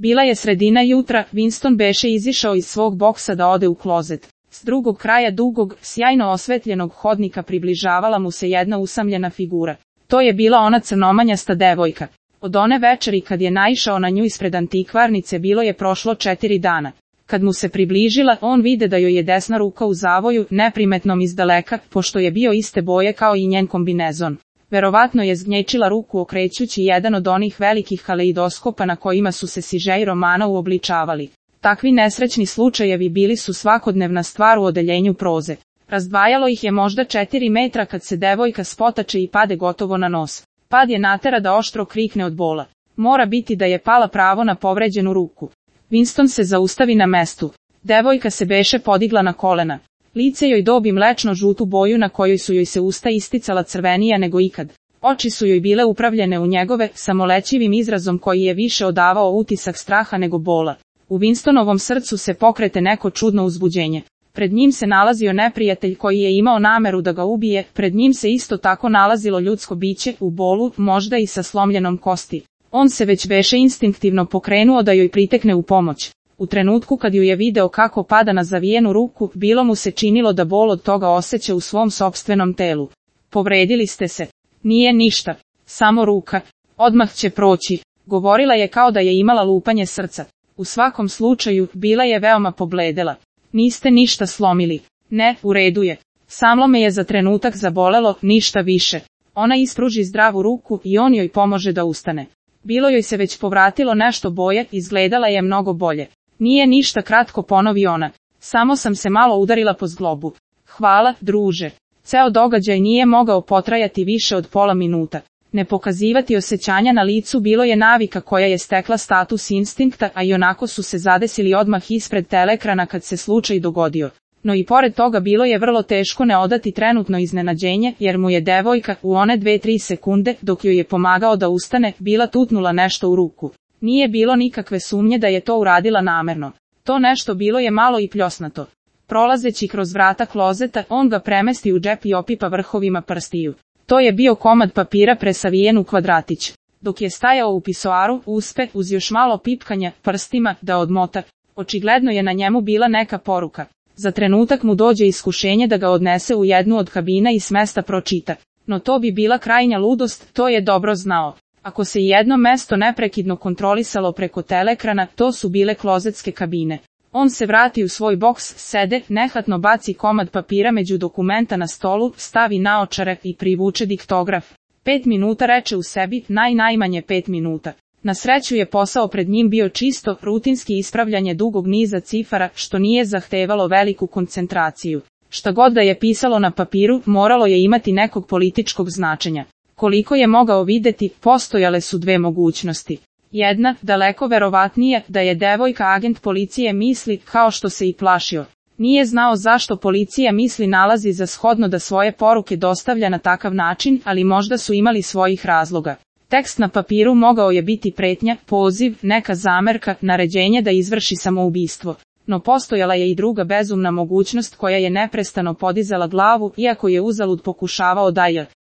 Bila je sredina jutra, Winston beše izišao iz svog boksa da ode u klozet. S drugog kraja dugog, sjajno osvetljenog hodnika približavala mu se jedna usamljena figura. To je bila ona crnomanjasta devojka. Od one večeri kad je naišao na nju ispred antikvarnice bilo je prošlo 4 dana. Kad mu se približila, on vide da joj je desna ruka u zavoju, neprimetnom izdaleka, pošto je bio iste boje kao i njen kombinezon. Verovatno je zgnječila ruku okrećući jedan od onih velikih kaleidoskopa na kojima su se sižeji romana uobličavali. Takvi nesrećni slučajevi bili su svakodnevna stvar u odeljenju proze. Razdvajalo ih je možda 4 metra kad se devojka spotače i pade gotovo na nos. Pad je natera da oštro krikne od bola. Mora biti da je pala pravo na povređenu ruku. Winston se zaustavi na mestu. Devojka se beše podigla na kolena. Lice joj dobi mlečno žutu boju na kojoj su joj se usta isticala crvenija nego ikad. Oči su joj bile upravljene u njegove, samolećivim izrazom koji je više odavao utisak straha nego bola. U Winstonovom srcu se pokrete neko čudno uzbuđenje. Pred njim se nalazio neprijatelj koji je imao nameru da ga ubije, pred njim se isto tako nalazilo ljudsko biće, u bolu, možda i sa slomljenom kosti. On se već beše instinktivno pokrenuo da joj pritekne u pomoć. U trenutku kad ju je video kako pada na zavijenu ruku, bilo mu se činilo da bol od toga osjeća u svom sopstvenom telu. Povredili ste se. Nije ništa. Samo ruka. Odmah će proći. Govorila je kao da je imala lupanje srca. U svakom slučaju, bila je veoma pobledela. Niste ništa slomili. Ne, u redu je. Samo me je za trenutak zabolelo, ništa više. Ona ispruži zdravu ruku i on joj pomože da ustane. Bilo joj se već povratilo nešto boje, izgledala je mnogo bolje. Nije ništa, kratko ponovi ona. Samo sam se malo udarila po zglobu. Hvala, druže. Ceo događaj nije mogao potrajati više od pola minuta. Ne pokazivati osjećanja na licu bilo je navika koja je stekla status instinkta, a i onako su se zadesili odmah ispred teleekrana kad se slučaj dogodio. No i pored toga bilo je vrlo teško ne odati trenutno iznenađenje, jer mu je devojka, u one 2-3 sekunde, dok joj je pomagao da ustane, bila tutnula nešto u ruku. Nije bilo nikakve sumnje da je to uradila namerno. To nešto bilo je malo i pljosnato. Prolazeći kroz vrata klozeta, on ga premesti u džep i opipa vrhovima prstiju. To je bio komad papira presavijen u kvadratić. Dok je stajao u pisoaru, uspe, uz još malo pipkanja, prstima, da odmota. Očigledno je na njemu bila neka poruka. Za trenutak mu dođe iskušenje da ga odnese u jednu od kabina i s mesta pročita. No to bi bila krajnja ludost, to je dobro znao. Ako se jedno mesto neprekidno kontrolisalo preko teleekrana, to su bile klozetske kabine. On se vrati u svoj boks, sede, nehatno baci komad papira među dokumenta na stolu, stavi naočare i privuče diktograf. 5 minuta reče u sebi, najmanje 5 minuta. Na sreću je posao pred njim bio čisto, rutinski ispravljanje dugog niza cifara, što nije zahtevalo veliku koncentraciju. Šta god da je pisalo na papiru, moralo je imati nekog političkog značenja. Koliko je mogao videti, postojale su dve mogućnosti. Jedna, daleko verovatnija, da je devojka agent policije misli, kao što se i plašio. Nije znao zašto policija misli nalazi za shodno da svoje poruke dostavlja na takav način, ali možda su imali svojih razloga. Tekst na papiru mogao je biti pretnja, poziv, neka zamerka, naređenje da izvrši samoubistvo. No postojala je i druga bezumna mogućnost koja je neprestano podizala glavu, iako je uzalud pokušavao da je